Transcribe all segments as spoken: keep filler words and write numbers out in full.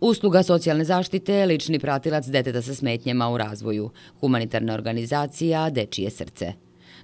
Usluga socijalne zaštite, lični pratilac deteta sa smetnjama u razvoju, humanitarna organizacija Dečije srce.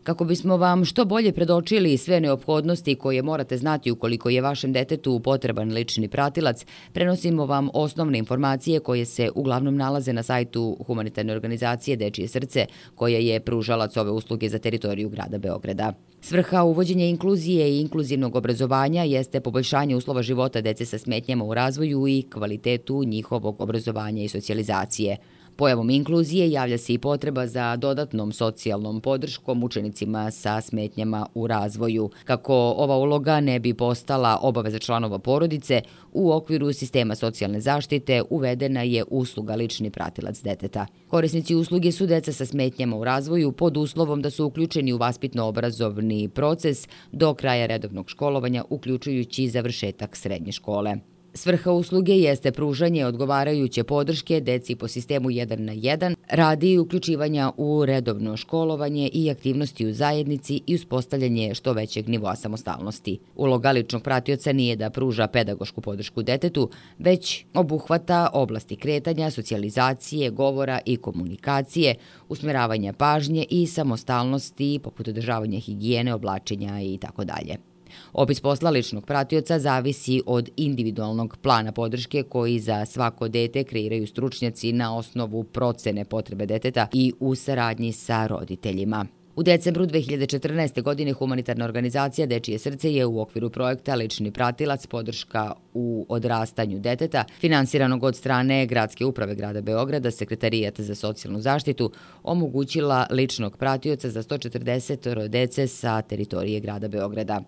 Kako bismo vam što bolje predočili sve neophodnosti koje morate znati ukoliko je vašem detetu potreban lični pratilac, prenosimo vam osnovne informacije koje se uglavnom nalaze na sajtu humanitarne organizacije Dečije srce, koja je pružalac ove usluge za teritoriju grada Beograda. Svrha uvođenja inkluzije i inkluzivnog obrazovanja jeste poboljšanje uslova života dece sa smetnjama u razvoju i kvalitetu njihovog obrazovanja i socijalizacije. Pojavom inkluzije javlja se i potreba za dodatnom socijalnom podrškom učenicima sa smetnjama u razvoju. Kako ova uloga ne bi postala obaveza članova porodice, u okviru sistema socijalne zaštite uvedena je usluga lični pratilac deteta. Korisnici usluge su deca sa smetnjama u razvoju pod uslovom da su uključeni u vaspitno-obrazovni proces do kraja redovnog školovanja, uključujući završetak srednje škole. Svrha usluge jeste pružanje odgovarajuće podrške deci po sistemu jedan na jedan radi uključivanja u redovno školovanje i aktivnosti u zajednici i uspostavljanje što većeg nivoa samostalnosti. Uloga ličnog pratioca nije da pruža pedagošku podršku detetu, već obuhvata oblasti kretanja, socijalizacije, govora i komunikacije, usmeravanja pažnje i samostalnosti poput održavanja higijene, oblačenja i tako dalje. Opis posla ličnog pratioca zavisi od individualnog plana podrške koji za svako dete kreiraju stručnjaci na osnovu procene potrebe deteta i u saradnji sa roditeljima. U decembru dve hiljade četrnaeste. godine humanitarna organizacija Dečije srce je u okviru projekta Lični pratilac podrška u odrastanju deteta, finansiranog od strane Gradske uprave grada Beograda, Sekretarijat za socijalnu zaštitu, omogućila ličnog pratioca za sto četrdeset dece sa teritorije grada Beograda.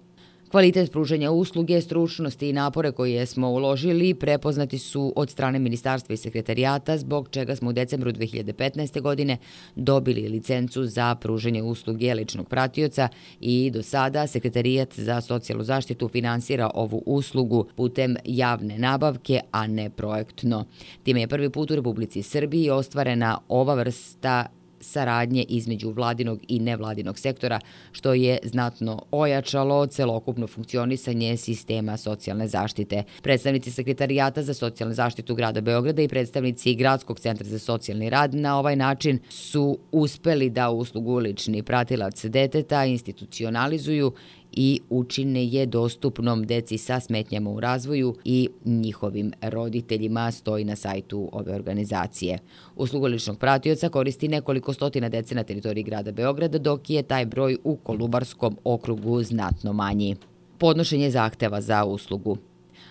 Kvalitet pružanja usluge, stručnosti i napore koje smo uložili prepoznati su od strane Ministarstva i Sekretarijata, zbog čega smo u decembru dve hiljade petnaeste. godine dobili licencu za pružanje usluge ličnog pratioca i do sada Sekretarijat za socijalnu zaštitu finansira ovu uslugu putem javne nabavke, a ne projektno. Time je prvi put u Republici Srbiji ostvarena ova vrsta saradnje između vladinog i nevladinog sektora, što je znatno ojačalo celokupno funkcionisanje sistema socijalne zaštite. Predstavnici Sekretarijata za socijalnu zaštitu grada Beograda i predstavnici Gradskog centra za socijalni rad na ovaj način su uspeli da uslugu lični pratilac deteta institucionalizuju i učine je dostupnom deci sa smetnjama u razvoju i njihovim roditeljima, stoji na sajtu ove organizacije. Uslugu ličnog pratioca koristi nekoliko stotina dece na teritoriji grada Beograda, dok je taj broj u Kolubarskom okrugu znatno manji. Podnošenje zahteva za uslugu.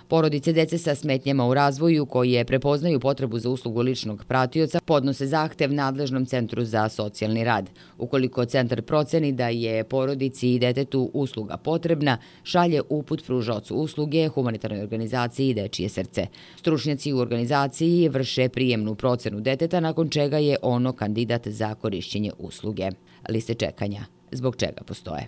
Porodice dece sa smetnjama u razvoju koje prepoznaju potrebu za uslugu ličnog pratioca podnose zahtev nadležnom centru za socijalni rad. Ukoliko centar proceni da je porodici i detetu usluga potrebna, šalje uput pružaocu usluge humanitarnoj organizaciji Dečije srce. Stručnjaci u organizaciji vrše prijemnu procenu deteta, nakon čega je ono kandidat za korišćenje usluge. Liste čekanja. Zbog čega postoje?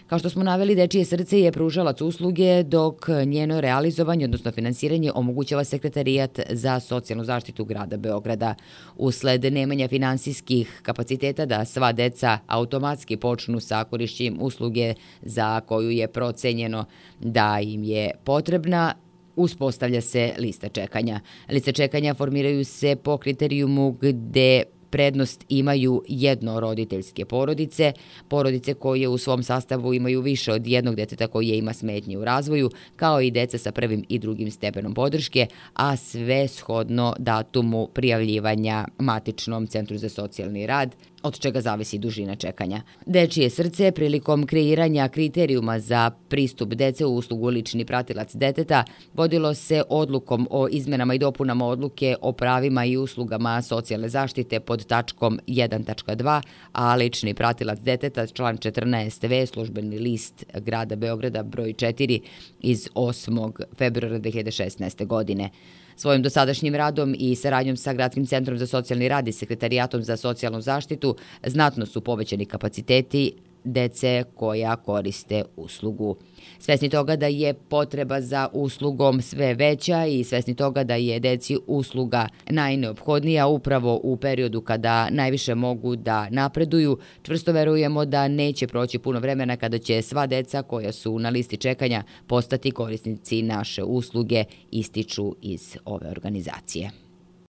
Kao što smo naveli, Dečije srce je pružalac usluge, dok njeno realizovanje, odnosno finansiranje, omogućava Sekretarijat za socijalnu zaštitu grada Beograda. Usled nemanja finansijskih kapaciteta da sva deca automatski počnu sa korišćenjem usluge za koju je procenjeno da im je potrebna, uspostavlja se lista čekanja. Liste čekanja formiraju se po kriterijumu gde prednost imaju jednoroditeljske porodice, porodice koje u svom sastavu imaju više od jednog deteta koje ima smetnje u razvoju, kao i deca sa prvim i drugim stepenom podrške, a sve shodno datumu prijavljivanja matičnom centru za socijalni rad, od čega zavisi dužina čekanja. Dečije srce prilikom kreiranja kriterijuma za pristup dece u uslugu lični pratilac deteta vodilo se odlukom o izmenama i dopunama odluke o pravima i uslugama socijalne zaštite pod tačkom jedan tačka dva, a lični pratilac deteta član četrnaest ve službeni list grada Beograda broj četiri iz osmog februara dve hiljade šesnaeste. godine. Svojim dosadašnjim radom i saradnjom sa Gradskim centrom za socijalni rad i Sekretarijatom za socijalnu zaštitu znatno su povećani kapaciteti dece koja koriste uslugu. Svesni toga da je potreba za uslugom sve veća i svesni toga da je deci usluga najneophodnija upravo u periodu kada najviše mogu da napreduju, čvrsto verujemo da neće proći puno vremena kada će sva deca koja su na listi čekanja postati korisnici naše usluge, ističu iz ove organizacije.